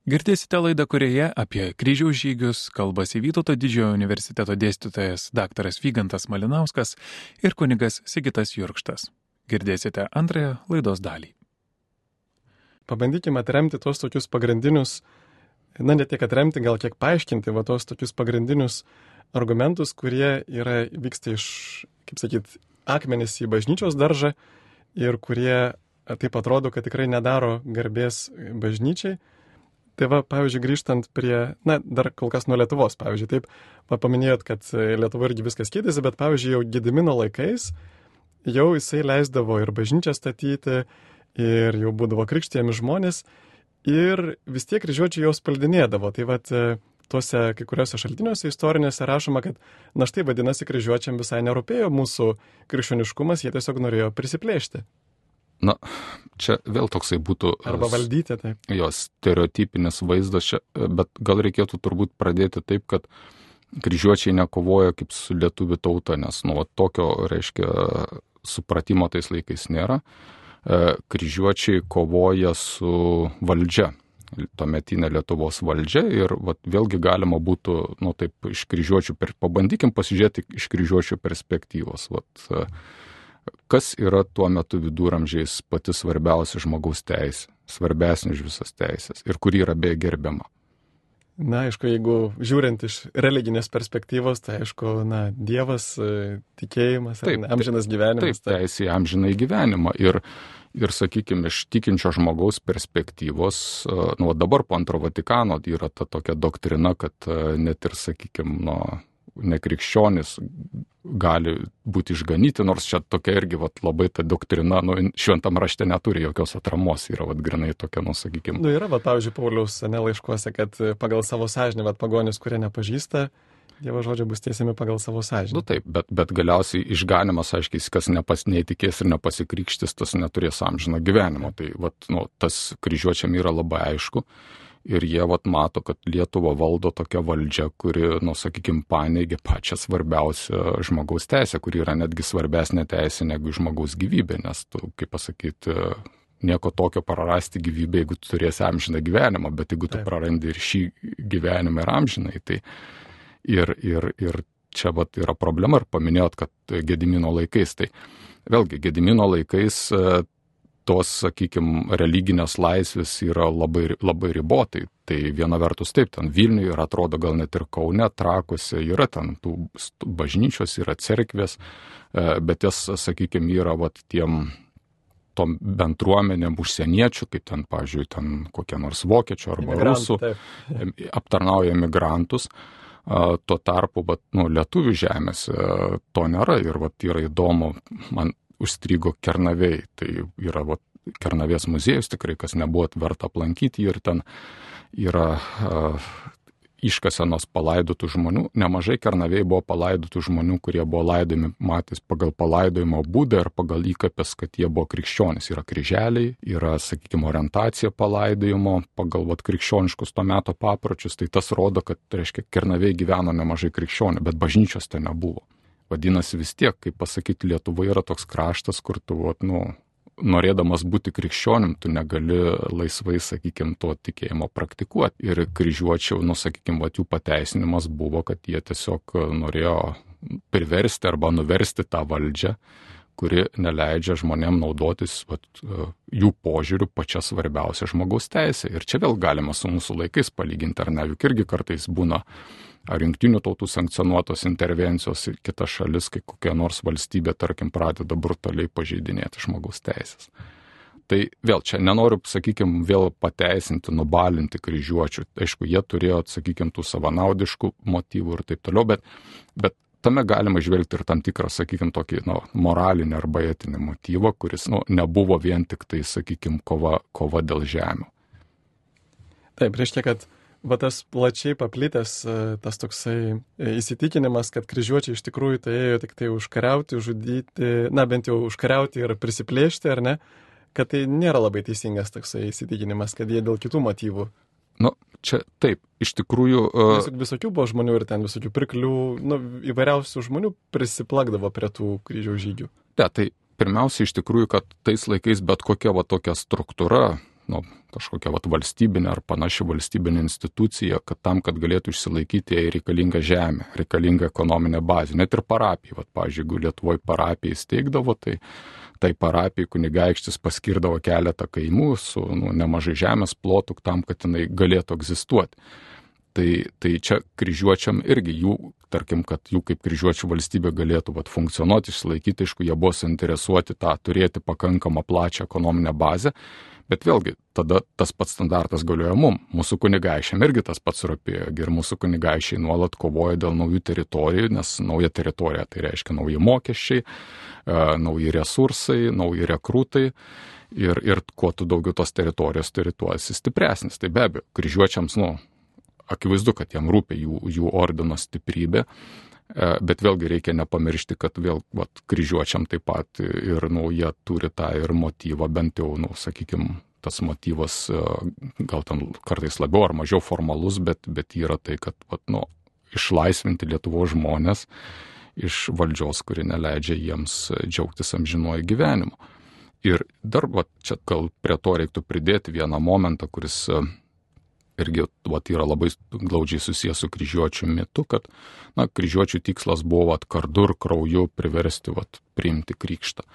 Girdėsite laidą, kurioje apie kryžiaus žygius kalbasi Vytauto Didžiojo universiteto dėstytojas dr. Vygantas Malinauskas ir kunigas Sigitas Jurkštas. Girdėsite antrąją laidos dalį. Pabandykime atremti tos tokius pagrindinius, ne tiek atremti, gal kiek paaiškinti, tos tokius pagrindinius argumentus, kurie vyksta iš, akmenys į bažnyčios daržą ir kurie taip atrodo, kad tikrai nedaro garbės bažnyčiai. Tai pavyzdžiui, grįžtant prie, dar kol kas nuo Lietuvos, pavyzdžiui, taip, paminėjot, kad Lietuva irgi viskas keitėsi, bet pavyzdžiui, jau Gedimino laikais jau jisai leisdavo ir bažnyčią statyti, ir jau būdavo krikštijami žmonės, ir vis tiek kryžiuočiai jos paldinėdavo. Tai tuose kai kuriuose šaltiniuose istorinėse rašoma, kad štai vadinasi, kryžiuočiam visai nerūpėjo mūsų krikščioniškumas, jie tiesiog norėjo prisiplėšti. Čia vėl toksai būtų... Arba valdyti, taip. Jos stereotipinis vaizdas čia, bet gal reikėtų turbūt pradėti taip, kad kryžiuočiai nekovoja kaip su lietuvių tauta, nes tokio, supratimo tais laikais nėra. Kryžiuočiai kovoja su valdžia, tuometinė Lietuvos valdžia ir vėlgi galima būtų, taip iš kryžiuočių, pabandykim pasižiūrėti iš kryžiuočių perspektyvos. Kas yra tuo metu viduramžiais pati svarbiausia žmogaus teisė, svarbesnė už visas teisės ir kuri yra beje gerbiama? Aišku, jeigu žiūrint iš religinės perspektyvos, tai aišku, Dievas, tikėjimas, amžinas gyvenimas. Taip, teisė į amžiną gyvenimą ir sakykime, iš tikinčio žmogaus perspektyvos, dabar po antro Vatikano yra ta tokia doktrina, kad net ir, sakykime, nekrikščionis gali būti išganyti, nors čia tokia irgi labai ta doktrina, šventam rašte neturi jokios atramos, yra grinai tokia, sakykime. Yra, pavyzdžiui, Pauliaus laiškuose, kad pagal savo sąžinę, pagonis, kurie nepažįsta Dievo žodžio, bus tiesiami pagal savo sąžinę. Taip, bet galiausiai išganimas, aiškiai, kas neįtikės ir nepasikrikštis, tas neturės amžino gyvenimo. Tai tas kryžiuočiam yra labai aišku. Ir jie mato, kad Lietuva valdo tokia valdžia, kuri, sakykime, paneigia pačią svarbiausią žmogaus teisę, kuri yra netgi svarbesnė teisė negu žmogaus gyvybė, nes tu, kaip pasakyti, nieko tokio prarasti gyvybę, jeigu tu turėsi amžiną gyvenimą, bet jeigu tu prarandi ir šį gyvenimą ir amžinai, tai ir čia yra problema, ir paminėjot, kad Gedimino laikais, tai vėlgi Gedimino laikais tos, sakykime, religinės laisvės yra labai, labai ribotai. Tai viena vertus taip, ten Vilniuje ir atrodo gal net ir Kaune, Trakuose yra ten tų bažnyčios, yra cerkvės, bet jas, sakykime, yra tom bendruomenėm užsieniečių, kaip ten, pavyzdžiui, ten kokie nors vokiečių arba rusų, aptarnauja migrantus. Tuo tarpu, lietuvių žemėse to nėra ir yra įdomu, man užstrigo Kernavėj, tai yra Kernavės muziejus tikrai, kas nebuvo verta aplankyti, ir ten yra iškasenos palaidotų žmonių. Nemažai Kernavėj buvo palaidotų žmonių, kurie buvo laidojami matys pagal palaidojimo būdą ir pagal įkapės, kad jie buvo krikščionys. Yra kryželiai, yra, sakykime, orientacija palaidojimo pagal krikščioniškus to meto papročius. Tai tas rodo, kad, Kernavėj gyveno nemažai krikščionių, bet bažnyčios ten nebuvo. Vadinasi, vis tiek, kaip pasakyti, Lietuva yra toks kraštas, kur tu, norėdamas būti krikščionim, tu negali laisvai, sakykime, to tikėjimo praktikuoti. Ir kryžiuočių, sakykime, jų pateisinimas buvo, kad jie tiesiog norėjo priversti arba nuversti tą valdžią, kuri neleidžia žmonėm naudotis jų požiūrių pačia svarbiausia žmogaus teisė. Ir čia vėl galima su mūsų laikais palyginti, ar ne, juk irgi kartais būna ar jungtinių tautų sankcionuotos intervencijos į kitas šalis, kai kokia nors valstybė, tarkim, pradeda brutaliai pažeidinėti žmogaus teisės. Tai vėl čia nenoriu, sakykime, vėl pateisinti, nubalinti kryžiuočių. Aišku, jie turėjo, sakykime, tų savanaudiškų motyvų ir taip toliau, bet tame galima žvelgti ir tam tikrą, sakykime, tokį moralinį arba etinį motyvą, kuris nebuvo vien tik tai, sakykime, kova dėl žemių. Taip, reiškia, kad tas plačiai paplitęs tas toksai įsitikinimas, kad kryžiuočiai iš tikrųjų tai ėjo tik tai užkariauti, žudyti, bent jau užkariauti ir prisiplėšti, ar ne, kad tai nėra labai teisingas toksai įsitikinimas, kad jie dėl kitų motyvų. Čia taip, iš tikrųjų... Visokių buvo žmonių ir ten visokių pirklių, įvairiausių žmonių prisiplakdavo prie tų kryžiaus žygių. Tai pirmiausia, iš tikrųjų, kad tais laikais bet kokia tokia struktūra, kažkokia valstybinė ar panaši valstybinė institucija, kad tam, kad galėtų išsilaikyti, jai reikalinga žemė, reikalinga ekonominė bazė. Net ir parapija, pavyzdžiui, jeigu Lietuvoje parapija įsteigdavo, tai parapijai kunigaikštis paskirdavo keletą kaimų su nemažai žemės plotų tam, kad jinai galėtų egzistuoti. Tai čia kryžiuočiam irgi jų, tarkim, kad jų kaip kryžiuočių valstybė galėtų funkcionuoti, išsilaikyti, aišku, jie buvo suinteresuoti tą turėti pakankamą plačią ekonominę bazę, bet vėlgi tada tas pats standartas galioja mum. Mūsų kunigaikščiam irgi tas pats rūpėjo ir mūsų kunigaikščiai nuolat kovoja dėl naujų teritorijų, nes nauja teritorija tai reiškia nauji mokesčiai, nauji resursai, nauji rekrutai. Ir kuo tu daugiau tos teritorijos turi, tuo esi stipresnis. Tai be abejo, kryžiuočiams, akivaizdu, kad jam rūpia jų ordino stiprybė, bet vėlgi reikia nepamiršti, kad vėl kryžiuočiam taip pat ir jie turi tą ir motyvą, bent jau, sakykime, tas motyvas gal ten kartais labiau ar mažiau formalus, bet yra tai, kad išlaisvinti Lietuvos žmonės iš valdžios, kuri neleidžia jiems džiaugtis amžinuoju gyvenimu. Ir dar čia gal prie to reiktų pridėti vieną momentą, kuris irgi yra labai glaudžiai susijęs su kryžiuočių mitu, kad kryžiuočių tikslas buvo kardu ir krauju priversti priimti krikštą.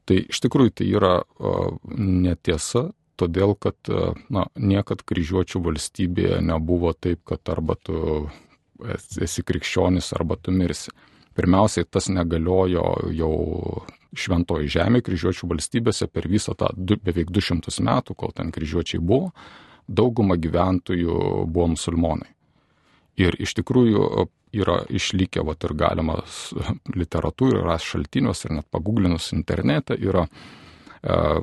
Tai iš tikrųjų tai yra netiesa, todėl kad niekad kryžiuočių valstybėje nebuvo taip, kad arba tu esi krikščionis, arba tu mirsi. Pirmiausiai tas negaliojo jau Šventoji Žemė kryžiuočių valstybėse per visą tą beveik 200 metų, kol ten kryžiuočiai buvo. Dauguma gyventojų buvo musulmonai. Ir iš tikrųjų yra išlikę, ir galima literatūrai ras šaltiniuose ir net paguglinus internete, yra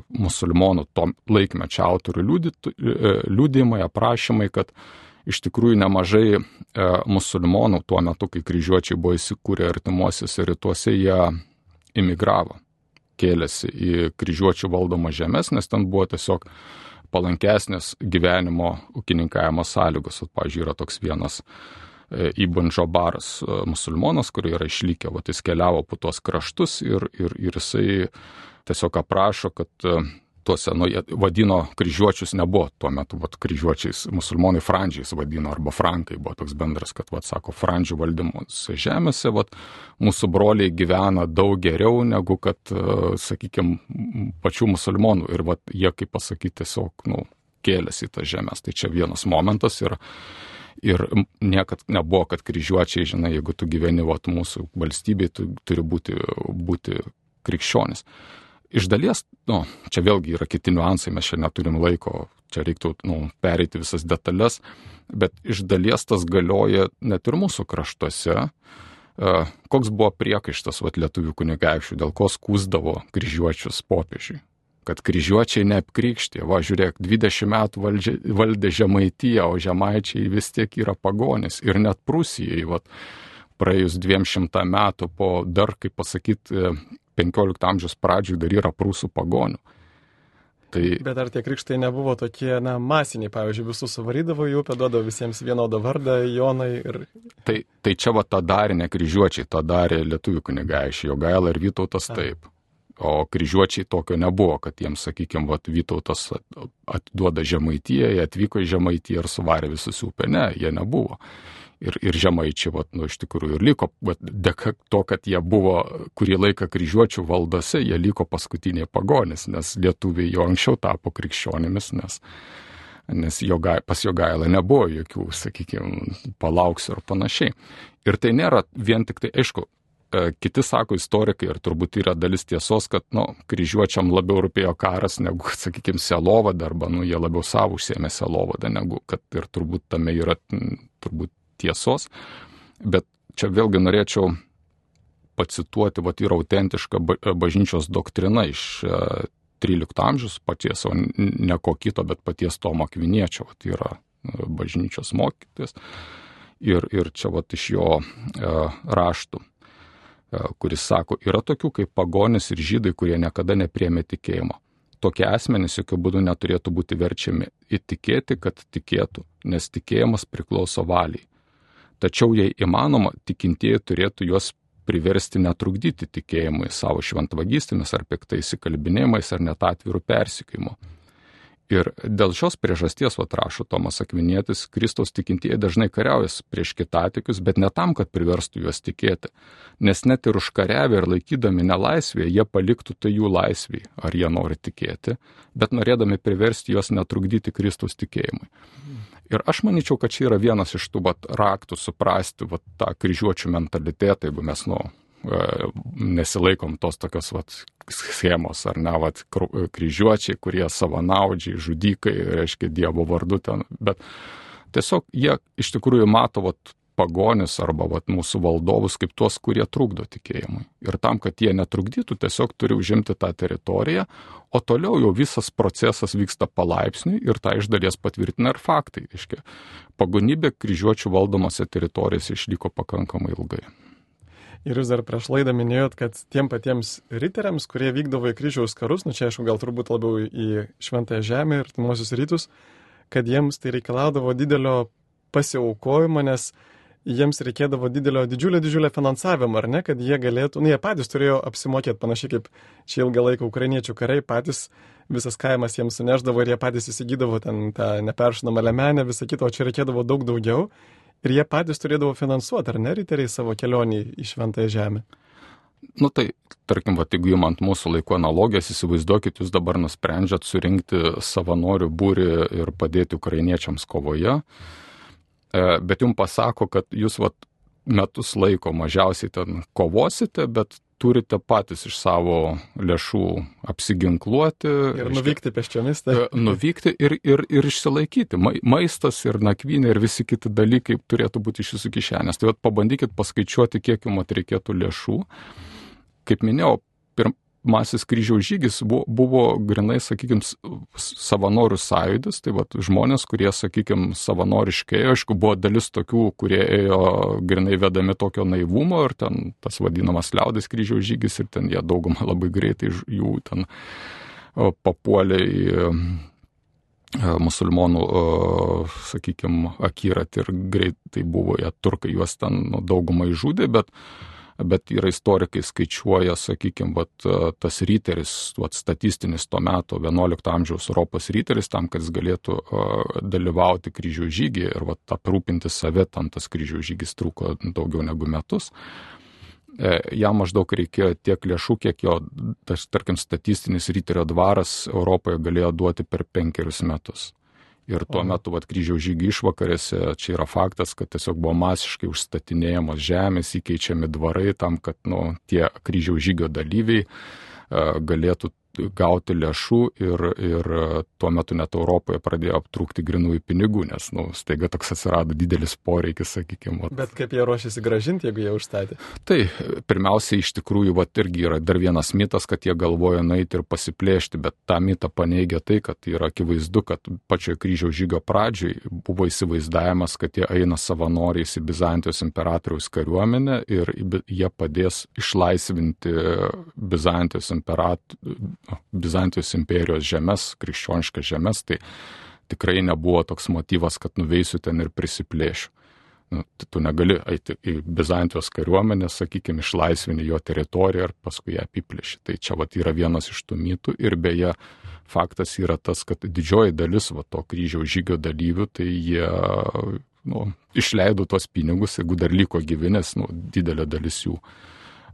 musulmonų to laikmečio autorių liudijimai, aprašymai, kad iš tikrųjų nemažai musulmonų tuo metu, kai kryžiuočiai buvo įsikūrę artimuosiuose rytuose, jie imigravo, kėlėsi į kryžiuočių valdomą žemės, nes ten buvo tiesiog palankesnės gyvenimo ūkininkavimo sąlygos. Pavyzdžiui, yra toks vienas Ibn Džabaras musulmonas, kurie yra išlikę, jis keliavo po tuos kraštus ir jisai tiesiog aprašo, kad tuose, jie vadino kryžiuočius, nebuvo tuo metu, kryžiuočiais, musulmonai frandžiais vadino, arba frankai buvo toks bendras, kad, sako, frandžių valdymus žemėse, mūsų broliai gyvena daug geriau negu, kad, sakykime, pačių musulmonų. Ir, jie, kaip pasakyti, tiesiog, kėlėsi į tas žemės. Tai čia vienas momentas ir niekad nebuvo, kad kryžiuočiai, žinai, jeigu tu gyveni, mūsų valstybėje, tu turi būti krikščionis. Iš dalies, čia vėlgi yra kiti niuansai, mes čia neturim laiko, čia reiktų pereiti visas detalės, bet iš dalies tas galioja net ir mūsų kraštuose. Koks buvo priekaištas lietuvių kunigaikščių, dėl ko skųsdavo kryžiuočius popiežiui? Kad kryžiuočiai neapkrikštė, žiūrėk, 20 metų valdė Žemaitiją, o žemaičiai vis tiek yra pagonis. Ir net Prūsijai, praėjus 200 metų po dar, kaip pasakyti, 15 amžiaus pradžioj dar yra prūsų pagonių. Bet ar tie krikštai nebuvo tokie, masiniai, pavyzdžiui, visus suvarydavo į upę, duodavo visiems vienodą vardą, Jonai ir... Tai čia tą darė ne kryžiuočiai, tą darė lietuvių kunigaikščiai, Jogaila ir Vytautas taip. O kryžiuočiai tokio nebuvo, kad jiems, sakykime, Vytautas atiduoda Žemaitiją, jie atvyko į Žemaitiją ir suvarė visus upę. Ne, jie nebuvo. Ir žemaičiai, iš tikrųjų, ir liko, dėka to, kad jie buvo kurį laiką kryžiuočių valdose, jie liko paskutiniai pagonis, nes lietuviai jau anksčiau tapo krikščionimis, nes pas Jogailą nebuvo jokių, sakykime, palauksiu ir panašiai. Ir tai nėra vien tik tai, aišku, kiti sako istorikai, ir turbūt yra dalis tiesos, kad, kryžiuočiam labiau rūpėjo karas negu, sakykime, selovada, arba, jie labiau savo užsiėmė selovadą, negu, kad ir turbūt tame yra, turbūt, tiesos, bet čia vėlgi norėčiau pacituoti, yra autentiška bažnyčios doktrina iš 13 amžiaus paties, o ne ko kito, bet paties Tomo Akviniečio, yra bažnyčios mokytojas, ir čia iš jo raštų, kuris sako, yra tokių kaip pagonis ir žydai, kurie niekada nepriėmė tikėjimo. Tokie asmenys jokių būdų neturėtų būti verčiami įtikėti, kad tikėtų, nes tikėjimas priklauso valiai. Tačiau, jei įmanoma, tikintieji turėtų juos priversti netrukdyti tikėjimui savo šventvagystėmis ar piktais įkalbinėjimais ar net atvirų persekiojimu. Ir dėl šios priežasties, rašo Tomas Akvinietis, Kristaus tikintieji dažnai kariauja prieš kitatikius, bet ne tam, kad priverstų juos tikėti. Nes net ir užkariavę ir laikydami nelaisvėje, jie paliktų tai jų laisvėj, ar jie nori tikėti, bet norėdami priversti juos netrukdyti Kristaus tikėjimui. Ir aš manyčiau, kad čia yra vienas iš tų raktų suprasti tą kryžiuočių mentalitetą, jeigu mes nesilaikom tos tokios schemos, ar ne, kryžiuočiai, kurie savanaudžiai, žudikai, reiškia Dievo vardu ten, bet tiesiog jie iš tikrųjų mato pagonis arba mūsų valdovus kaip tuos, kurie trukdo tikėjimui. Ir tam, kad jie netrukdytų, tiesiog turi užimti tą teritoriją, o toliau jau visas procesas vyksta palaipsniui ir tą iš dalies patvirtina ir faktai. Reiškia, pagonybė kryžiuočių valdomose teritorijose išliko pakankamai ilgai. Ir jūs dar prieš laidą minėjot, kad tiem patiems riteriams, kurie vykdavo į kryžiaus karus, čia aišku gal turbūt labiau į Šventąją Žemę ir Artimuosius Rytus, kad jiems tai reikalaudavo didelio pasiaukojimo, nes jiems reikėdavo didžiulio finansavimo, ar ne, kad jie galėtų, jie patys turėjo apsimokėti, panašiai kaip čia ilgą laiką ukrainiečių kariai, patys visas kaimas jiems suneždavo ir jie patys įsigydavo ten tą neperšinamą lemenę, visą kitą, o čia reikėdavo daug daugiau. Ir jie patys turėdavo finansuoti, ar ne, riteriai savo kelionį į Šventąją Žemę? Tai, tarkim, jeigu įmant mūsų laiko analogijas, įsivaizduokit, jūs dabar nusprendžiat surinkti savanorių būrį ir padėti ukrainiečiams kovoje, bet jums pasako, kad jūs metus laiko mažiausiai ten kovosite, bet turite patys iš savo lėšų apsiginkluoti. Ir nuvykti pėsčiomis. Nuvykti ir išsilaikyti. Maistas ir nakvynė ir visi kiti dalykai turėtų būti iš jūsų kišenės. Tai pabandykit paskaičiuoti, kiek jums reikėtų lėšų. Kaip minėjau, pirmasis kryžiaus žygis buvo grinai, sakykime, savanorių sąjūdis. Tai žmonės, kurie, sakykime, savanoriškai, aišku, buvo dalis tokių, kurie ėjo grinai vedami tokio naivumo ir ten tas vadinamas liaudės kryžiaus žygis ir ten jie daugumą labai greitai jų ten papuolė į musulmonų, sakykime, akiratį ir greitai buvo jie turkai, juos ten daugumą išžudė, bet yra istorikai skaičiuoja, sakykime, tas ryteris, statistinis to meto 11 amžiaus Europos ryteris, tam, kad jis galėtų dalyvauti kryžiaus žygyje ir aprūpinti save, tam tas kryžiaus žygis truko daugiau negu metus. Jam maždaug reikėjo tiek lėšų, kiek jo, tarkim, statistinis ryterio dvaras Europoje galėjo duoti per 5 metus. Ir tuo metu kryžiaus žygio išvakarėse, čia yra faktas, kad tiesiog buvo masiškai užstatinėjamos žemės, įkeičiami dvarai tam, kad tie kryžiaus žygio dalyviai galėtų gauti lėšų ir tuo metu net Europoje pradėjo aptrūkti grinųjų pinigų, nes staiga toks atsirado didelis poreikis, sakykime. Bet kaip jie ruošiasi grąžinti, jeigu jie užstatė? Tai pirmiausia, iš tikrųjų, irgi yra dar vienas mitas, kad jie galvoja nueiti ir pasiplėšti, bet tą mitą paneigia tai, kad yra akivaizdu, kad pačioje kryžiaus žygio pradžioj buvo įsivaizdavimas, kad jie eina savanoriais į Bizantijos imperatoriaus kariuomenę ir jie padės išlaisvinti Bizantijos imperijos žemės, krikščioniškas žemės, tai tikrai nebuvo toks motyvas, kad nuveisiu ten ir prisiplėšiu. Tu negali eiti į Bizantijos kariuomenę, sakykime, išlaisvini jo teritoriją ir paskui ją apiplėši. Tai čia yra vienas iš tų mitų ir beje faktas yra tas, kad didžioji dalis to kryžiaus žygio dalyvių, tai jie išleido tuos pinigus, jeigu dar liko gyvi, nes didelė dalis jų,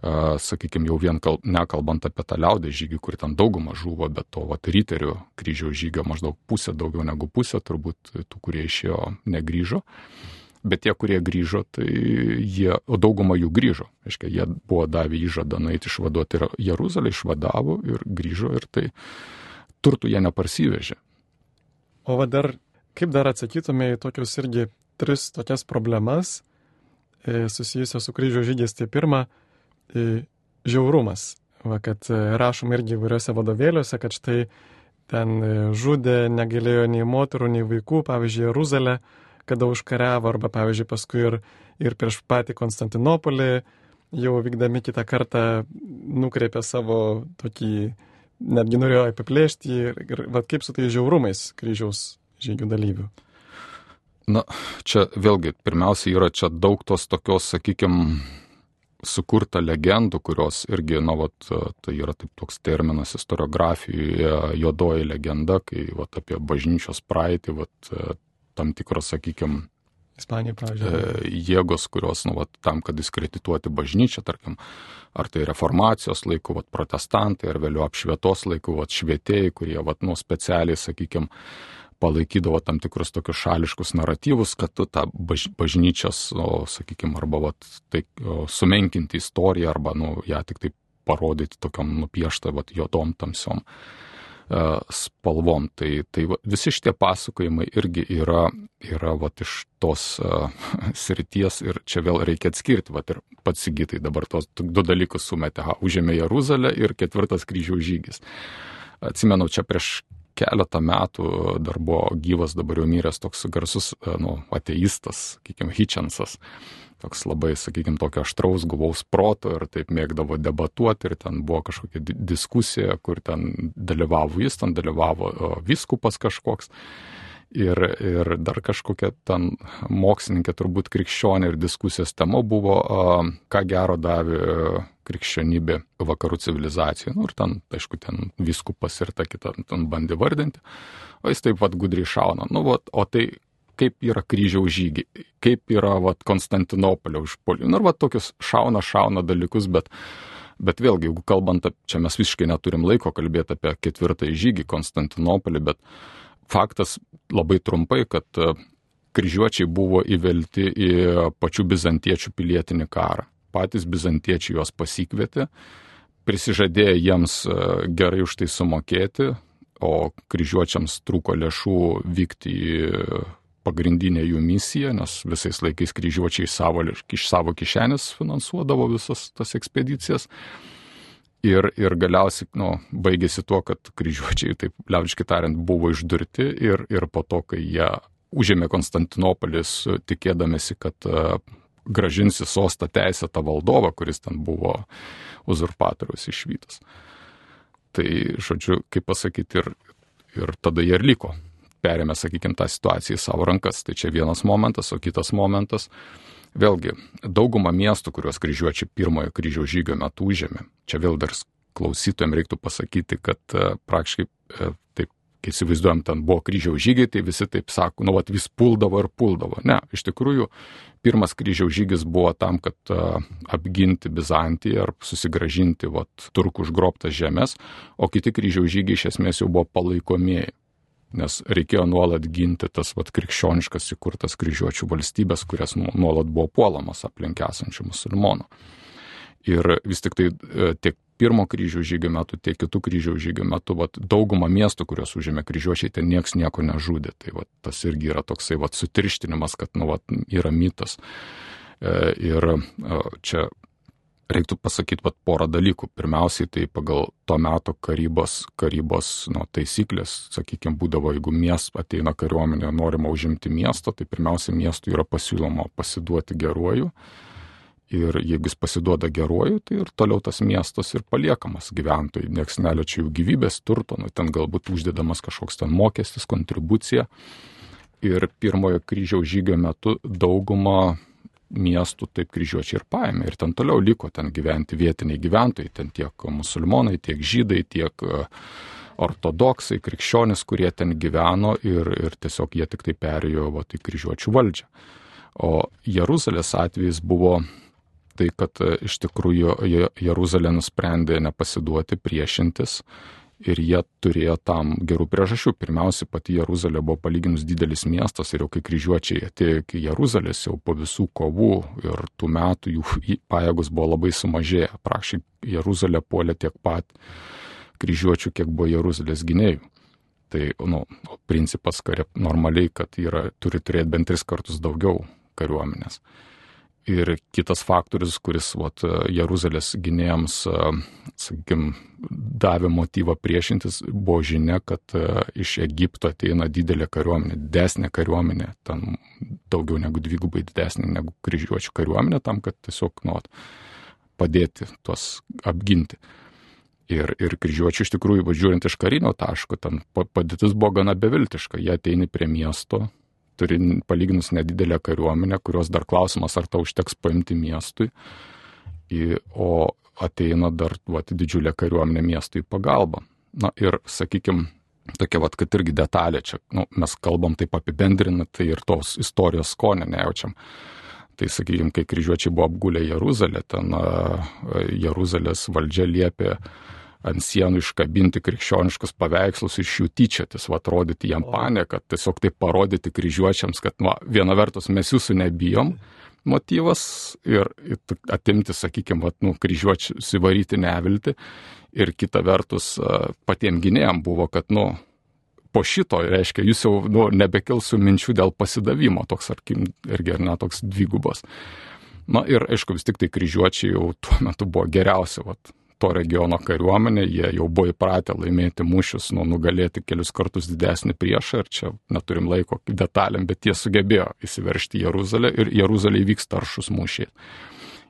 sakykime, jau vien nekalbant apie tą liaudės žygį, kur ten dauguma žuvo, bet to riterių kryžiaus žygio maždaug pusė, daugiau negu pusė, turbūt tų, kurie išėjo, negrįžo. Bet tie, kurie grįžo, tai o dauguma jų grįžo. Aiškia, jie buvo davę įžadą nueiti išvaduoti ir Jeruzalę, išvadavo ir grįžo ir tai turtų jie neparsivežė. O kaip dar atsakytume į tokius irgi 3 tokias problemas susijusios su kryžiaus žygiais? Tai pirma, žiaurumas. Kad rašom irgi įvairiuose vadovėliuose, kad štai ten žudė, negalėjo nei moterų, nei vaikų, pavyzdžiui, Jeruzalę, kada užkariavo, arba, pavyzdžiui, paskui ir prieš patį Konstantinopolį, jau vykdami kitą kartą nukreipė savo tokį, netgi norėjo apiplėšti ir kaip su tai žiaurumais kryžiaus žygių dalyvių. Čia vėlgi, pirmiausia, yra čia daug tos tokios, sakykime, sukurta legendų, kurios irgi, tai yra taip toks terminas istoriografijoje, juodoji legenda, kai apie bažnyčios praeitį, tam tikros, sakykime, Ispanija, pavyzdžiui. Jėgos, kurios, tam, kad diskredituoti bažnyčią, tarkim, ar tai reformacijos laikų, protestantai, ar vėliau apšvietos laikų, švietėjai, kurie, specialiai, sakykime, palaikydavo tam tikrus tokius šališkus naratyvus, kad tą bažnyčios, sakykime, arba sumenkinti istoriją, arba, ją tik taip parodyti tokiam nupieštą, juodom, tamsiom spalvom. Tai visi šitie pasakojimai irgi yra iš tos srities ir čia vėl reikia atskirti, ir pats Sigitai dabar tos du dalykus sumetė, užėmė Jeruzalę ir 4 kryžiaus žygis. Atsimenu, čia prieš keletą metų dar buvo gyvas, dabar jau miręs toks garsus ateistas, sakykime, Hitchensas. Toks labai, sakykime, tokio aštraus, guvaus proto ir taip mėgdavo debatuoti ir ten buvo kažkokia diskusija, kur ten dalyvavo jis, ten dalyvavo vyskupas kažkoks ir dar kažkokia ten mokslininkė, turbūt krikščionė, ir diskusijos tema buvo, ką gero davė krikščionybė vakarų civilizacijai. Ir ten, aišku, ten vyskupas ir ta kita ten bandė vardinti, o jis taip gudriai šauna. O tai kaip yra kryžiaus žygiai, kaip yra Konstantinopolio užpuolimai. Ir tokius šauna dalykus, bet vėlgi, jeigu kalbant, čia mes visiškai neturim laiko kalbėti apie 4 žygį Konstantinopolį, bet faktas labai trumpai, kad kryžiuočiai buvo įvelti į pačių bizantiečių pilietinį karą. Patys bizantiečiai juos pasikvietė, prisižadėjo jiems gerai už tai sumokėti, o kryžiuočiams trūko lėšų vykti į pagrindinę jų misiją, nes visais laikais kryžiuočiai iš savo kišenės finansuodavo visas tas ekspedicijas. Ir galiausiai baigėsi tuo, kad kryžiuočiai, taip liaudiškai tariant, buvo išdurti ir po to, kai jie užėmė Konstantinopolį, tikėdamėsi, kad grąžinsi sostą teisėtą valdovą, kuris ten buvo uzurpatoriaus išvytas. Tai, žodžiu, kaip pasakyti, ir tada jie ir liko. Perėmė, sakykime, tą situaciją į savo rankas. Tai čia vienas momentas, o kitas momentas. Vėlgi, dauguma miestų, kuriuos kryžiuočiai pirmojo kryžiaus žygio metu užėmė, čia vėl dar klausytojams reiktų pasakyti, kad praktiškai, taip, kai įsivaizduojam, ten buvo kryžiaus žygiai, tai visi taip sako, vis puldavo. Ne, iš tikrųjų, pirmas kryžiaus žygis buvo tam, kad apginti Bizantiją ar susigrąžinti turkų užgrobtas žemės, o kiti kryžiaus žygiai iš esmės jau buvo palaikomieji. Nes reikėjo nuolat ginti tas krikščioniškas įkurtas kryžiuočių valstybės, kurias nuolat buvo puolamas aplink esančių musulmonų. Ir vis tik tai tiek pirmo kryžiaus žygio metu, tiek kitų kryžiaus žygio metu, dauguma miestų, kurios užėmė kryžiuočiai, ten nieks nieko nežudė. Tai tas irgi yra toksai sutirštinimas, kad yra mitas. Ir čia reiktų pasakyti porą dalykų. Pirmiausiai, tai pagal to meto karybos taisyklės, sakykime, būdavo, jeigu ateina kariuomenė, norima užimti miestą, tai pirmiausia, miestui yra pasiūloma pasiduoti geruoju. Ir jeigu jis pasiduoda geruoju, tai ir toliau tas miestas ir paliekamas gyventojai. Nieks neliečia jų gyvybės, turto, ten galbūt uždedamas kažkoks ten mokestis, kontribucija. Ir pirmojo kryžiaus žygio metu dauguma miestų taip kryžiuočiai ir paėmė. Ir ten toliau liko ten gyventi vietiniai gyventojai, ten tiek musulmonai, tiek žydai, tiek ortodoksai, krikščionys, kurie ten gyveno ir tiesiog jie tik tai perėjo į kryžiuočių valdžią. O Jeruzalės atvejis buvo tai, kad iš tikrųjų Jeruzalė nusprendė nepasiduoti, priešintis ir jie turėjo tam gerų priežasčių. Pirmiausia, pati Jeruzalė buvo palyginus didelis miestas ir jau kai kryžiuočiai atėjo iki Jeruzalės, jau po visų kovų ir tų metų jų pajėgos buvo labai sumažėję. Praktiškai Jeruzalė puolė tiek pat kryžiuočių, kiek buvo Jeruzalės gynėjų. Tai principas normaliai, kad turi turėti bent 3 kartus daugiau kariuomenės. Ir kitas faktorius, kuris Jeruzalės gynėjams, sakykime, davė motyvą priešintis, buvo žinia, kad iš Egipto ateina didelė kariuomenė, didesnė kariuomenė, ten daugiau negu 2 didesnė negu kryžiuočių kariuomenė, tam, kad tiesiog padėti tuos apginti. Ir kryžiuočių iš tikrųjų, žiūrint iš karinio taško, ten padėtis buvo gana beviltiška. Jie ateina prie miesto, turi palyginus nedidelę kariuomenę, kurios dar klausimas, ar tau užteks paimti miestui. o ateina dar didžiulė kariuomenė miestui į pagalbą. Na ir, sakykime, tokia, kad irgi detalė čia, mes kalbam taip apibendrinant, tai ir tos istorijos skonio nejaučiam. Tai, sakykime, kai kryžiuočiai buvo apgulę Jeruzalę, ten Jeruzalės valdžia liepė ant sienų iškabinti krikščioniškus paveikslus ir iš jų tyčiotis, rodyti jam panieką, tiesiog taip parodyti kryžiuočiams, kad viena vertus mes jūsų nebijom, motyvas, ir atimti, sakykime, kryžiuočius įvaryti nevilti, ir kita vertus patiem gynėjam buvo, kad, po šito, reiškia, jūs jau nebekilsiu minčių dėl pasidavimo, toks, irgi ar ne, toks dvigubas. Na ir, aišku, vis tik tai kryžiuočiai jau tuo metu buvo geriausia, to regiono kariuomenė, jie jau buvo įpratę laimėti mūšius, nugalėti kelius kartus didesnį priešą, ir čia neturim laiko detalėm, bet jie sugebėjo įsiveržti į Jeruzalę, ir Jeruzalėje vyksta aršus mūšiai.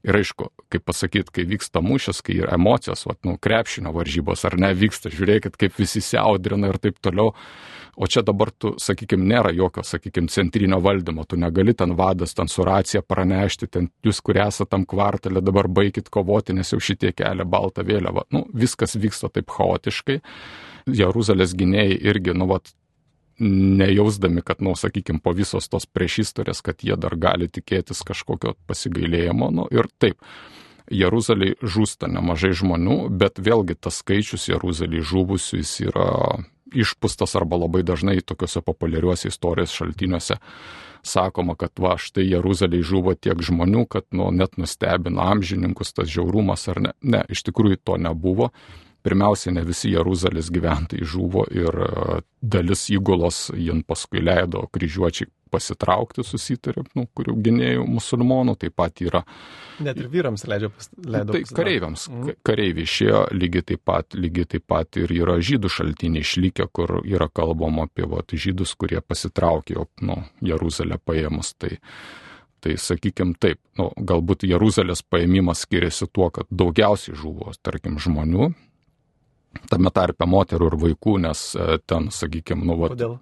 Ir aišku, kaip pasakyti, kai vyksta mūšis, kai yra emocijos, krepšinio varžybos ar ne, vyksta, žiūrėkit, kaip visi siaudrina ir taip toliau. O čia dabar tu, sakykime, nėra jokio, sakykime, centrinio valdymo, tu negali ten vadas, ten su racija pranešti, ten jūs, kurie esate tam kvartalė, dabar baikit kovoti, nes jau šitie kelia baltą vėliavą. Viskas vyksta taip chaotiškai. Jeruzalės gynėjai irgi, nejausdami, kad, sakykime, po visos tos priešistorės, kad jie dar gali tikėtis kažkokio pasigailėjimo. Ir taip, Jeruzalėje žūsta nemažai žmonių, bet vėlgi tas skaičius Jeruzalėje žuvusių jis yra išpūstas arba labai dažnai tokiuose populiariuose istorijos šaltiniuose sakoma, kad štai Jeruzalėje žuvo tiek žmonių, kad net nustebino amžininkus tas žiaurumas ar ne. Ne, iš tikrųjų to nebuvo. Pirmiausia, ne visi Jeruzalės gyventojai žuvo, ir dalis įgulos jin paskui leido kryžiuočiai pasitraukti, susitarė, kurių gynėjų musulmonų, taip pat yra. Net ir vyrams leido tai kareiviams. Kareiviai išėjo, lygiai taip pat ir yra žydų šaltiniai išlikę, kur yra kalbama apie žydus, kurie pasitraukė Jeruzalę paėmus. Tai sakykime taip, galbūt Jeruzalės paėmimas skiriasi tuo, kad daugiausiai žuvo, tarkim, žmonių, tame tarpe moterų ir vaikų, nes ten, sakykime, Kodėl?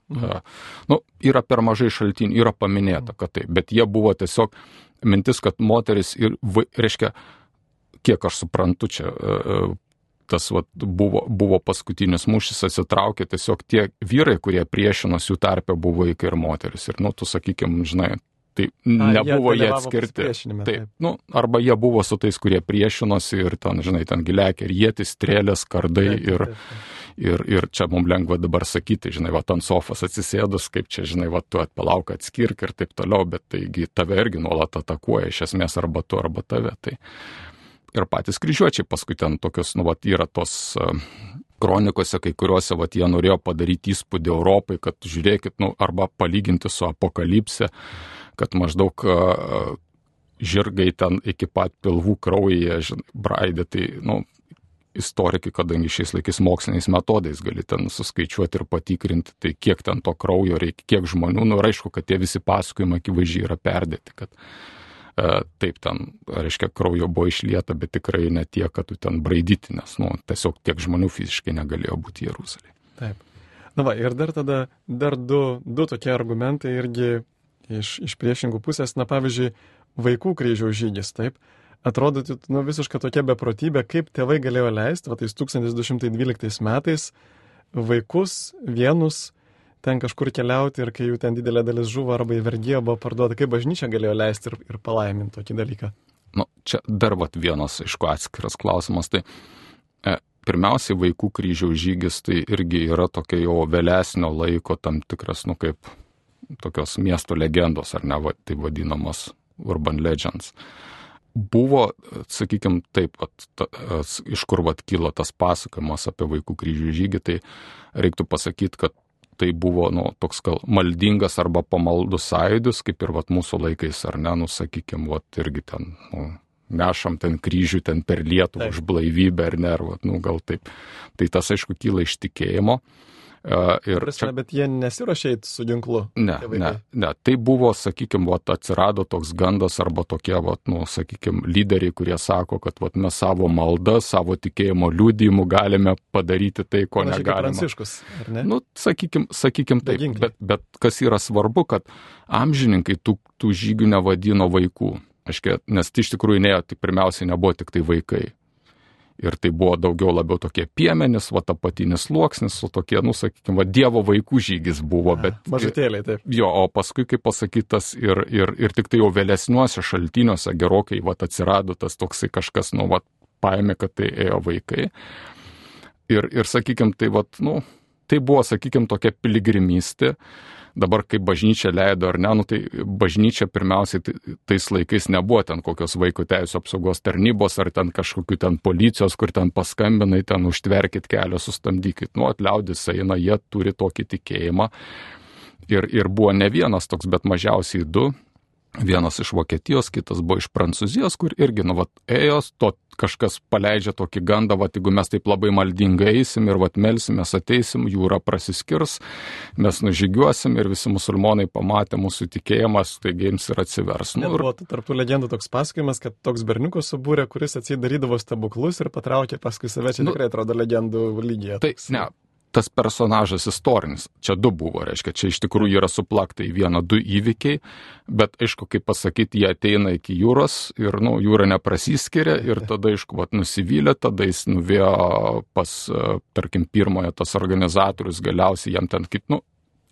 Yra per mažai šaltinių, yra paminėta, kad taip, bet jie buvo tiesiog mintis, kad moteris ir, reiškia, kiek aš suprantu, čia tas buvo paskutinis mūšis, atsitraukė tiesiog tie vyrai, kurie priešinosi, jų tarpe buvo vaikai ir moteris. Ir, tu, sakykime, žinai, tai nebuvo jie atskirti. Taip, arba jie buvo su tais, kurie priešinosi, ir ten, žinai, ten giliakė ir ietis, strėlės, kardai, ir čia mums lengva dabar sakyti, žinai, ant sofos atsisėdus, kaip čia, žinai, tu atpalauk, atskirk ir taip toliau, bet taigi tave irgi nuolat atakuoja, iš esmės, arba tu, arba tave. Tai. Ir patys kryžiuočiai paskui ten tokios, yra tos kronikose, kai kuriuose, jie norėjo padaryti įspūdį Europai, kad žiūrėkit, arba palyginti su apokalipse, kad maždaug žirgai ten iki pat pilvų kraujyje braidė, tai, istorikai, kadangi šiais laikais moksliniais metodais gali ten suskaičiuoti ir patikrinti, tai kiek ten to kraujo reikia, kiek žmonių, ir aišku, kad tie visi pasakojimai akivaizdžiai yra perdėti, kad taip ten, reiškia, kraujo buvo išlieta, bet tikrai ne tiek, kad tu ten braidyti, nes, tiesiog tiek žmonių fiziškai negalėjo būti Jeruzalėje. Taip. Ir dar du tokie argumentai irgi iš priešingų pusės, pavyzdžiui, vaikų kryžiaus žygis, taip, atrodytų, visiškai tokia beprotybė, kaip tėvai galėjo leisti, tais 1212 metais vaikus vienus ten kažkur keliauti, ir kai jų ten didelė dalis žuvo arba į vergiją buvo parduota, kaip bažnyčia galėjo leisti ir palaiminti tokį dalyką? Čia dar vienas, aišku, atskiras klausimas. Tai pirmiausiai vaikų kryžiaus žygis tai irgi yra tokia jau vėlesnio laiko tam tikras, kaip tokios miesto legendos, ar ne, tai vadinamos urban legends. Buvo, sakykime, taip, iš kur kilo tas pasakojimas apie vaikų kryžių žygį, tai reiktų pasakyti, kad tai buvo, toks maldingas arba pamaldus sąjūdis, kaip ir mūsų laikais, ar ne, sakykime, irgi ten, nešam ten kryžių ten per Lietuvą už blaivybę, ar ne, gal taip. Tai tas, aišku, kyla iš tikėjimo. Bet jie nesiruošė eiti su ginklu? Ne. Tai buvo, sakykime, atsirado toks gandas arba tokie, sakykime, lyderiai, kurie sako, kad mes savo maldą, savo tikėjimo liudijimu galime padaryti tai, ko negalime. Pranciškus, ar ne? Sakykime taip, bet kas yra svarbu, kad amžininkai tų žygių nevadino vaikų. Aiškiai, nes tai iš tikrųjų tik pirmiausiai nebuvo tik tai vaikai. Ir tai buvo daugiau labiau tokie piemenys, apatinis sluoksnis, su tokie, sakykime, Dievo vaikų žygis buvo. Bet, mažutėliai, taip. Jo, o paskui, kaip pasakytas, ir tik tai jau vėlesniuose šaltiniuose gerokai atsirado tas toksai kažkas, paėmė, kad tai ėjo vaikai. Ir sakykime, tai buvo, sakykime, tokia piligrimystė. Dabar, kaip bažnyčia leido ar ne, tai bažnyčia pirmiausiai tais laikais nebuvo ten kokios vaiko teisų apsaugos tarnybos ar ten kažkokių ten policijos, kur ten paskambinai, ten užtverkit kelią, sustamdykit. Liaudis eina, jie turi tokį tikėjimą. Ir buvo ne vienas toks, bet mažiausiai 2. Vienas iš Vokietijos, kitas buvo iš Prancūzijos, kur irgi, ėjo, kažkas paleidžia tokį gandą, jeigu mes taip labai maldingai eisim ir melsimės, ateisim, jūra prasiskirs, mes nužygiuosim ir visi musulmonai pamatė mūsų tikėjimas, taigi jiems ir atsivers. Buvo tarptų legendų toks pasakojimas, kad toks berniukas subūrė, kuris atsidarydavo stebuklus ir patraukė paskui save, čia tikrai atrodo legendų lygyje. Tai, ne. Tas personažas istorinis, čia 2 buvo, reiškia, čia iš tikrųjų yra suplakta į vieną 2 įvykiai, bet aišku, kaip pasakyti, jie ateina iki jūros ir, jūra neprasiskiria ir tada, aišku, nusivylė, tada jis nuvėjo pas, tarkim, pirmojo tas organizatorius, galiausiai jam ten kaip,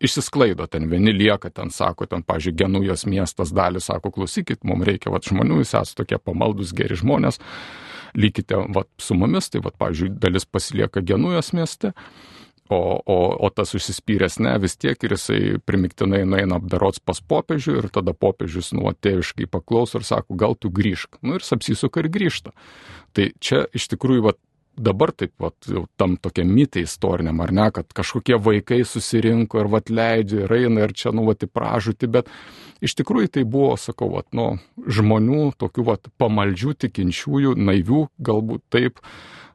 išsisklaido, ten vieni lieka, ten sako, ten, pavyzdžiui, Genujos miestas dalį, sako, klausykit, mums reikia, žmonių, jūs esate tokie pamaldus, geri žmonės, likite, su mumis, tai, pavyzdžiui, dalis pasilieka Genujos mieste. O tas užsispyręs vis tiek ir jisai primiktinai nueina apdarots pas popiežių ir tada popiežius tėviškai paklauso ir sako, gal tu grįžk. Ir jis apsisuka ir grįžta. Tai čia iš tikrųjų dabar taip jau tam tokia mitai istoriniam, ar ne, kad kažkokie vaikai susirinko ir leidžia ir eina ir čia į pražūtį, bet iš tikrųjų tai buvo, sakau, žmonių, tokių pamaldžių, tikinčiųjų, naivių, galbūt taip,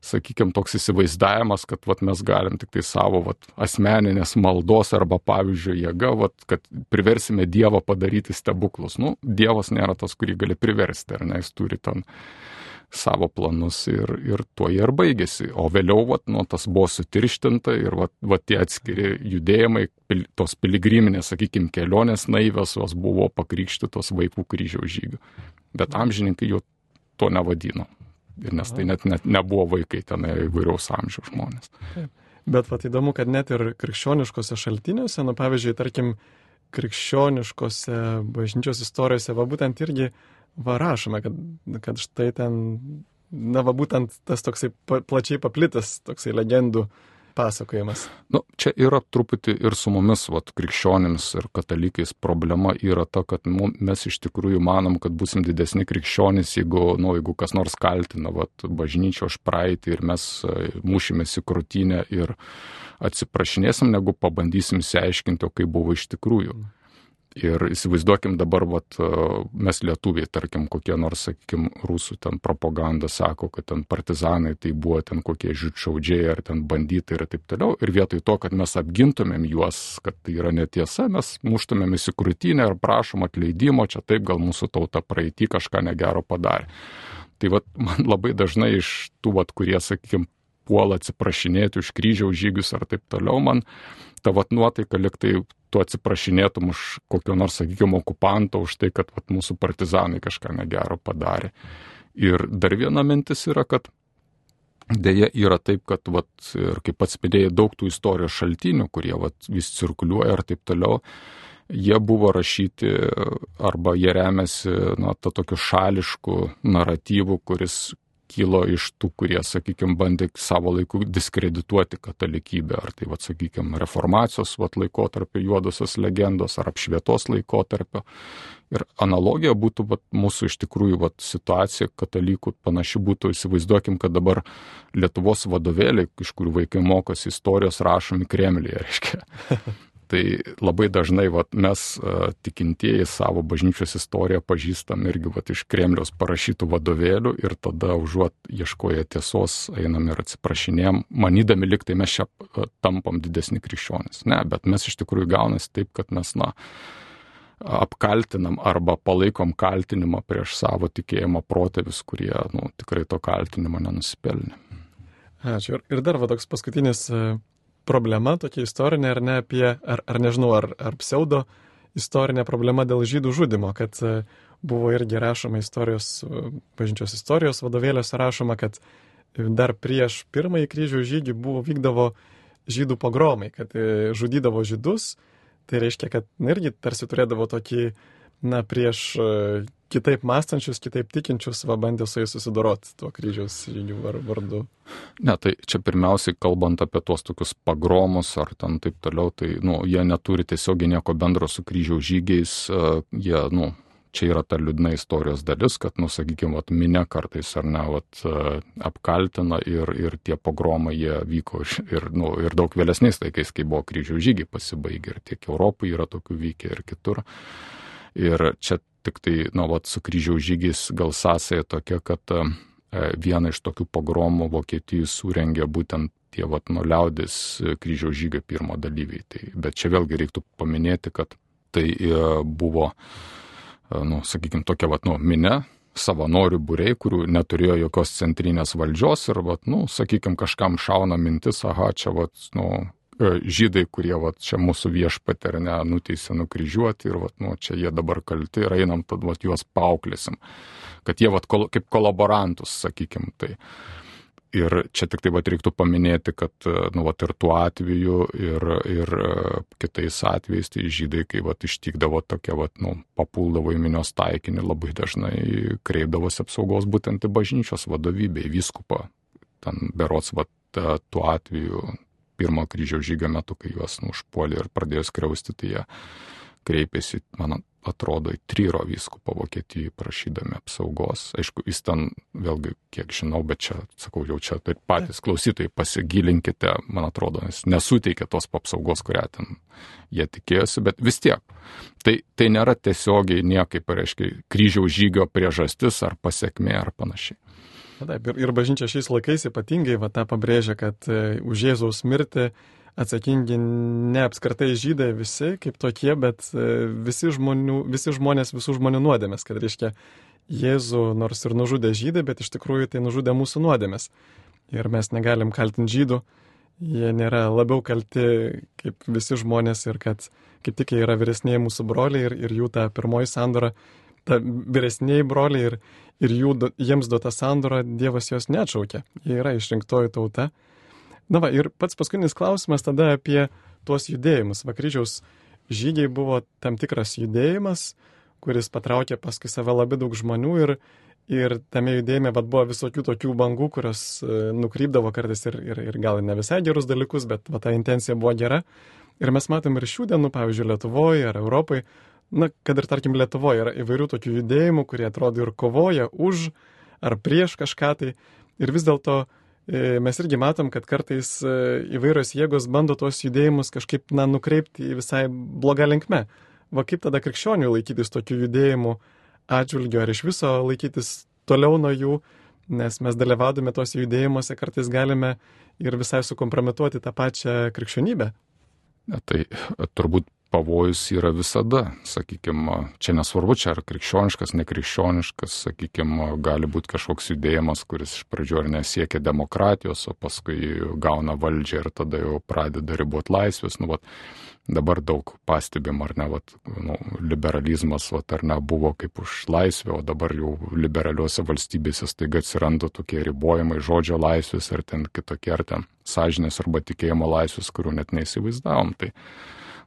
sakykime, toks įsivaizdavimas, kad mes galim tik tai savo asmeninės maldos arba pavyzdžio jėga, kad priversime Dievą padaryti stebuklus. Dievas nėra tas, kurį gali priversti, ar ne, jis turi ten savo planus ir tuo jie ir baigėsi. O vėliau, tas buvo sutirštinta ir tie atskiri judėjimai, tos piligriminės, sakykime, kelionės naivios, jos buvo pakrikštytos vaikų kryžiaus žygių. Bet amžininkai jo to nevadino. Ir nes tai net nebuvo vaikai, ten įvairiaus amžiaus žmonės. Bet įdomu, kad net ir krikščioniškose šaltiniuose, pavyzdžiui, tarkim, krikščioniškose bažnyčios istorijose, būtent irgi rašome, kad štai ten, būtent tas toksai plačiai paplitas, toksai legendų pasakojimas. Čia yra truputį ir su mumis, krikščionims ir katalikais problema yra ta, kad mes iš tikrųjų manom, kad būsim didesni krikščionys, jeigu kas nors kaltina bažnyčią už praeitį ir mes mušimės į krūtinę ir atsiprašinėsim, negu pabandysim išsiaiškinti, kaip buvo iš tikrųjų. Ir įsivaizduokim dabar, mes lietuviai, tarkim, kokie nors, sakykim, rusų ten propaganda sako, kad ten partizanai tai buvo ten kokie žydšaudžiai ar ten banditai ir taip toliau. Ir vietoj to, kad mes apgintumėm juos, kad tai yra netiesa, mes muštumėm į krūtinę ir prašom atleidimo, čia taip gal mūsų tauta praeitį kažką negero padarė. Tai man labai dažnai iš tų, kurie, sakykim, puola atsiprašinėti už kryžiaus žygius ar taip toliau, man ta nuotaika, lyg tai tu atsiprašinėtum už kokio nors, sakykime, okupanto, už tai, kad mūsų partizanai kažką negero padarė. Ir dar viena mintis yra, kad dėja yra taip, kad ir kaip pats minėjai, daug tų istorijos šaltinių, kurie vis cirkuliuoja ir taip toliau, jie buvo rašyti arba jie remiasi tą tokiu šališku naratyvu, kuris kilo iš tų, kurie, sakykime, bandė savo laiku diskredituoti katalikybę, ar tai, sakykime, reformacijos laikotarpio juodosios legendos, ar apšvietos laikotarpio. Ir analogija būtų mūsų iš tikrųjų situacija katalikų panaši būtų, įsivaizduokim, kad dabar Lietuvos vadovėliai, iš kurių vaikai mokosi istorijos, rašomi Kremliuje, reiškia. Tai labai dažnai mes tikintieji savo bažnyčios istoriją pažįstam irgi iš Kremliaus parašytų vadovėlių ir tada užuot ieškoję tiesos einam ir atsiprašinėjom, manydami lyg tai mes čia tampam didesni krikščionys. Ne, bet mes iš tikrųjų gaunasi taip, kad mes apkaltinam arba palaikom kaltinimą prieš savo tikėjimo protėvius, kurie tikrai to kaltinimo nenusipelnė. Ačiū. Ir dar toks paskutinis problema tokia istorinė, ar ne apie, ar nežinau, ar pseudo istorinė problema dėl žydų žudimo, kad buvo irgi rašoma bažnyčios istorijos vadovėliuose rašoma, kad dar prieš pirmąjį kryžiaus žygį vykdavo žydų pogromai, kad žudydavo žydus. Tai reiškia, kad irgi tarsi turėdavo tokį, prieš kitaip mąstančius, kitaip tikinčius, bandė su jais susidoroti tuo kryžiaus žygių vardu. Ne, tai čia pirmiausiai kalbant apie tuos tokius pagromus ar ten taip toliau, tai, jie neturi tiesiogiai nieko bendro su kryžiaus žygiais, jie, čia yra ta liūdna istorijos dalis, kad, sakykime, minia kartais ar ne, apkaltina ir tie pogromai jie vyko ir daug vėlesniais laikais, kai buvo kryžiaus žygiai pasibaigę ir tiek Europoje yra tokių vykę ir kitur. Ir čia tik tai, su kryžiaus žygiais gal sąsaja tokia, kad vieną iš tokių pogromų Vokietijai surengė būtent tie, liaudės kryžiaus žygio pirmo dalyviai. Bet čia vėlgi reiktų paminėti, kad tai buvo sakykime, tokia, minia, savanorių būriai, kurių neturėjo jokios centrinės valdžios ir, sakykime, kažkam šauna mintis, čia, žydai, kurie, čia mūsų viešpatį ar ne, nuteisė nukryžiuoti ir, čia jie dabar kalti ir einam, tad, juos paauklėsim, kad jie, kaip kolaborantus, sakykime, tai. Ir čia tik tai reiktų paminėti, kad ir tuo atveju ir kitais atvejais tai žydai, kai ištikdavo tokia, papuldavo į minios taikinį, labai dažnai kreipdavosi apsaugos būtent į bažnyčios vadovybę, į vyskupą. Ten berods tuo atveju pirmo kryžiaus žygio metu, kai juos užpuolė ir pradėjo skriausti, tai jie kreipėsi, man atrodo, į Tryro vyskupą Vokietijai prašydami apsaugos. Aišku, jis ten, vėlgi, kiek žinau, bet čia, sakau, jau čia tai patys klausytojai pasigilinkite, man atrodo, jis nesuteikė tos apsaugos, kurią ten jie tikėjosi, bet vis tiek. Tai nėra tiesiogiai niekaip, reiškia, kryžiaus žygio priežastis ar pasiekmė ar panašiai. Taip, ir bažnyčia šiais laikais ypatingai tą pabrėžia, kad už Jėzaus mirtį atsakingi ne apskritai žydai visi kaip tokie, bet visi žmonės, visų žmonių nuodėmės, kad reiškia Jėzų nors ir nužudė žydai, bet iš tikrųjų tai nužudė mūsų nuodėmės. Ir mes negalim kaltinti žydų, jie nėra labiau kalti kaip visi žmonės ir kad kaip tik jie yra vyresniai mūsų broliai ir jų ta pirmoji sandora, ta vyresniai broliai ir jiems duota sandora, Dievas jos neatšaukė. Jie yra išrinktoji tauta. Ir pats paskutinis klausimas tada apie tuos judėjimus. Kryžiaus žygiai buvo tam tikras judėjimas, kuris patraukė paskui save labai daug žmonių ir tame judėjime buvo visokių tokių bangų, kurios nukrypdavo kartais ir gal ne visai gerus dalykus, bet ta intencija buvo gera. Ir mes matom ir šių dienų, pavyzdžiui, Lietuvoje ar Europoje, kad ir tarkim Lietuvoje yra įvairių tokių judėjimų, kurie atrodo ir kovoja už ar prieš kažką tai. Ir vis dėlto mes irgi matom, kad kartais įvairios jėgos bando tuos judėjimus kažkaip nukreipti į visai blogą linkmę. Kaip tada krikščionių laikytis tokių judėjimų atžvilgiu, ar iš viso laikytis toliau nuo jų, nes mes dalyvaudami tuos judėjimuose kartais galime ir visai sukompromituoti tą pačią krikščionybę. Tai turbūt pavojus yra visada, sakykime, čia nesvarbu, čia ar krikščioniškas, nekrikščioniškas, sakykime, gali būti kažkoks judėjimas, kuris iš pradžių ar nesiekia demokratijos, o paskui gauna valdžią ir tada jau pradeda riboti laisvės. Dabar daug pastebim, ar ne, liberalizmas, ar ne, buvo kaip už laisvę, o dabar jau liberaliuose valstybėse staiga atsiranda tokie ribojimai žodžio laisvės, ar ten kitokie, ar ten sąžinės arba tikėjimo laisvės, kurių net neįsivaizdavom.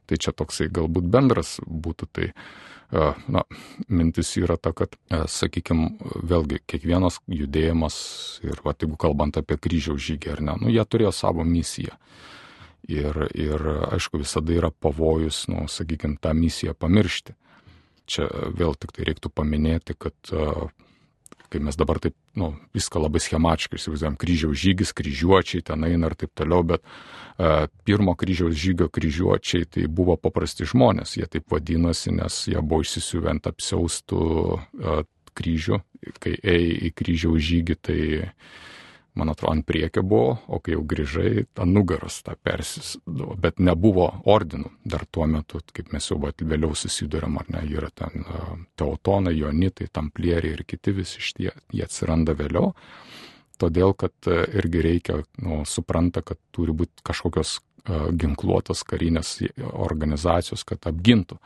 Tai čia toksai galbūt bendras būtų. Tai mintis yra ta, kad, sakykime, vėlgi kiekvienas judėjimas ir jeigu kalbant apie kryžiaus žygį, ar ne, jie turėjo savo misiją. Ir aišku, visada yra pavojus, sakykime, tą misiją pamiršti. Čia vėl tik tai reiktų paminėti, kad kai mes dabar taip, viską labai schematiškai įsivaizduojam, kryžiaus žygis, kryžiuočiai ten eina ir taip toliau, bet pirmo kryžiaus žygio kryžiuočiai tai buvo paprasti žmonės, jie taip vadinosi, nes jie buvo išsisiuvę ant apsiaustų kryžių, kai ėjai į kryžiaus žygį, tai man atrodo, ant priekio buvo, o kai jau grįžai, ant nugaros tą persisdavo, bet nebuvo ordinų dar tuo metu, kaip mes jau vėliau susiduriam, ar ne, yra ten teutonai, jonitai, tamplieriai ir kiti visi šitie, jie atsiranda vėliau, todėl, kad irgi reikia, supranta, kad turi būti kažkokios ginkluotos karinės organizacijos, kad apgintų.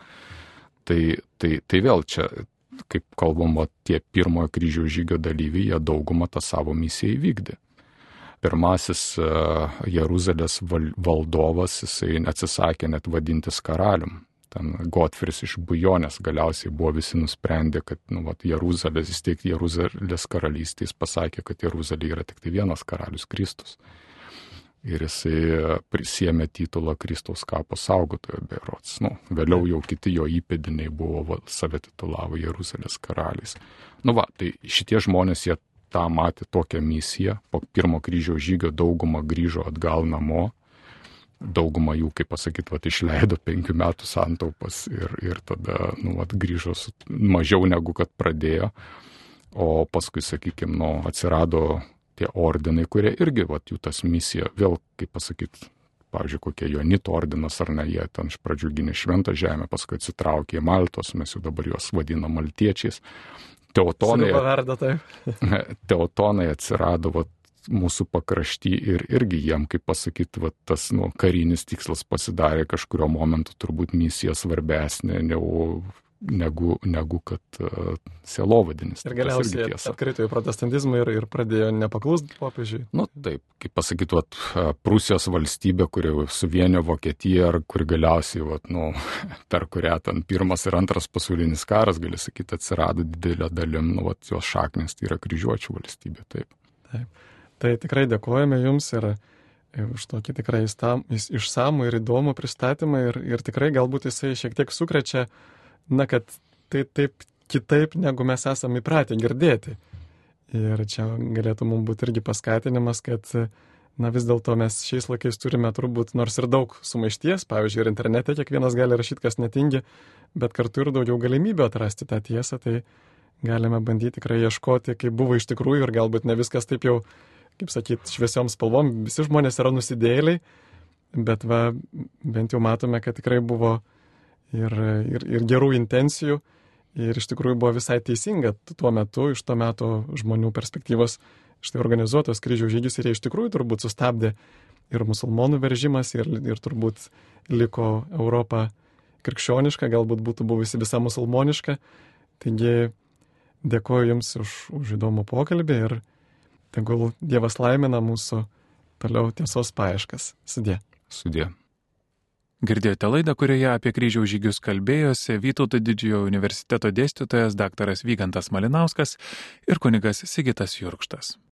Tai vėl čia kaip kalbama, tie pirmojo kryžiaus žygio dalyviai, jie daugumą tą savo misiją įvykdė. Pirmasis Jeruzalės valdovas, jisai atsisakė net vadintis karalium. Ten Gotfris iš Bujonės galiausiai buvo visi nusprendę, kad Jeruzalės, įsteigti Jeruzalės karalystės, pasakė, kad Jeruzalė yra tik tai vienas karalius Kristus. Ir jisai prisėmė titulą Kristaus kapo saugotojo berods. Vėliau jau kiti jo įpėdiniai buvo, save titulavo Jeruzalės karaliais. Tai šitie žmonės, jie tą matė tokią misiją, po pirmo kryžiaus žygio dauguma grįžo atgal namo, dauguma jų, kaip pasakyti, išleido 5 metų santaupas ir tada grįžo mažiau negu kad pradėjo, o paskui, sakykime, atsirado tie ordinai, kurie irgi, jų tas misija, vėl, kaip pasakyti, pavyzdžiui, kokie Jonito ordinas ar ne, jie ten iš pradžių gynė Šventą žemę, paskui atsitraukė į Maltos, mes jau dabar juos vadinam maltiečiais. Teutonai atsirado mūsų pakrašty ir irgi jiem, kaip pasakyti, tas karinis tikslas pasidarė kažkurio momentu turbūt misija svarbesnė negu kad sielovadinis. Ir galiausiai atkrito į protestantizmą ir pradėjo nepaklusti popiežiui. Taip, kaip pasakyti, Prūsijos valstybė, kuri suvienijo Vokietiją, ar kuri galiausiai, per kurią ten Pirmas ir Antras pasaulinis karas, gali sakyti, atsirado didelė dalim, jos šaknis, tai yra kryžiuočių valstybė. Taip. Tai tikrai dėkojame Jums ir už tokį tikrai išsamų ir įdomų pristatymą ir tikrai galbūt jisai šiek tiek sukrečia, kad tai taip kitaip, negu mes esame įpratę girdėti. Ir čia galėtų mums būti irgi paskatinimas, kad vis dėlto mes šiais laikais turime turbūt nors ir daug sumaišties, pavyzdžiui, ir internete kiekvienas gali rašyti, kas netingi, bet kartu ir daugiau galimybių atrasti tą tiesą, tai galime bandyti tikrai ieškoti, kaip buvo iš tikrųjų ir galbūt ne viskas taip jau, kaip sakyti, šviesiom spalvom, visi žmonės yra nusidėjėliai, bet bent jau matome, kad tikrai buvo ir gerų intencijų ir iš tikrųjų buvo visai teisinga tuo metu, iš to meto žmonių perspektyvos štai organizuotos kryžiaus žygius ir jie iš tikrųjų turbūt sustabdė ir musulmonų veržimas ir turbūt liko Europa krikščioniška, galbūt būtų buvusi visa musulmoniška. Taigi dėkoju Jums už įdomų pokalbį ir tegul Dievas laimina mūsų toliau tiesos paieškas. Sudie. Girdėjote laidą, kurioje apie kryžiaus žygius kalbėjosi Vytauto Didžiojo universiteto dėstytojas daktaras Vygantas Malinauskas ir kunigas Sigitas Jurkštas.